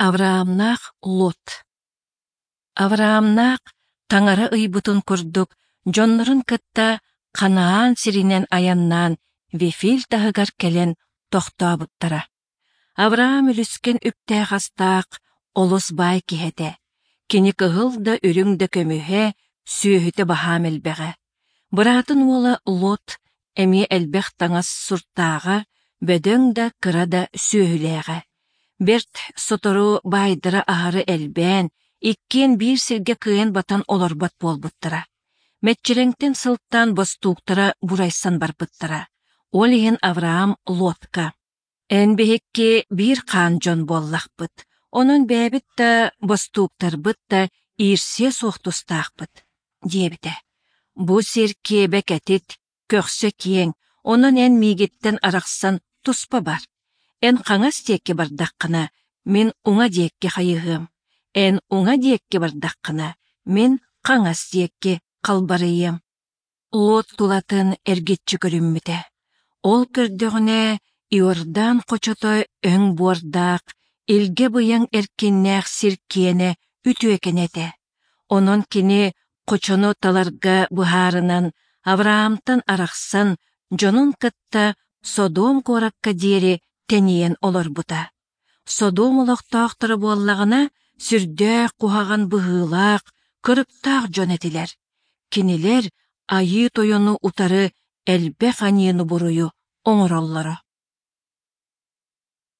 Авраамнаах Лот Авраамнаах Таҥара ыйбытын курдук дьоннорун кытта Ханаан сиринэн айаннаан Вефиль таһыгар кэлэн тохтообуттара. Авраам үлүскэн үптээх-астаах, олус баай киһи этэ. Кини кыһыл да үрүҥ да көмүһэ, сүөһүтэ баһаам элбэҕэ. Быраатын уола Лот эмиэ элбэх таҥас суртааҕа, бөдөҥ да кыра да сүөһүлээҕэ. Бэрт сотору баайдара аһары элбээн, иккиэн биир сиргэ кыайан батан олорбот буолбуттара. Мэччирэҥтэн сылтаан бостууктара бурайсан барбыттара. Ол иһин Авраам Лотка: «Эн биһикки биир хаан дьон буоллахпыт, онон бэйэбит да, бостууктарбыт да иирсиэ суох тустаахпыт», диэбитэ. Бу сир киэбэ кэтит, көхсө киэҥ, онон эн миигиттэн арахсан туспа бар. Эн хаҥас диэки бардаххына, мин уҥа диэки хайыһыам, эн уҥа диэки бардаххына, мин хаҥас диэки халбарыйыам. Лот тулатын эргиччи көрүммүтэ. Ол көрдөҕүнэ Иордан хочото өҥ буордаах, илгэ быйаҥ эркиннээх сир киэнэ үтүөкэнэ этэ. Онон кини хочону таларга быһаарынан Авраамтан арахсан дьонун кытта Содом куоракка диэри тэнийэн олорбута. Содом олохтоохторо буоллаҕына сүрдээх куһаҕан быһыылаах, кырыктаах дьон этилэр. Кинилэр Айыы Тойону утары элбэх аньыыны-буруйу оҥороллоро.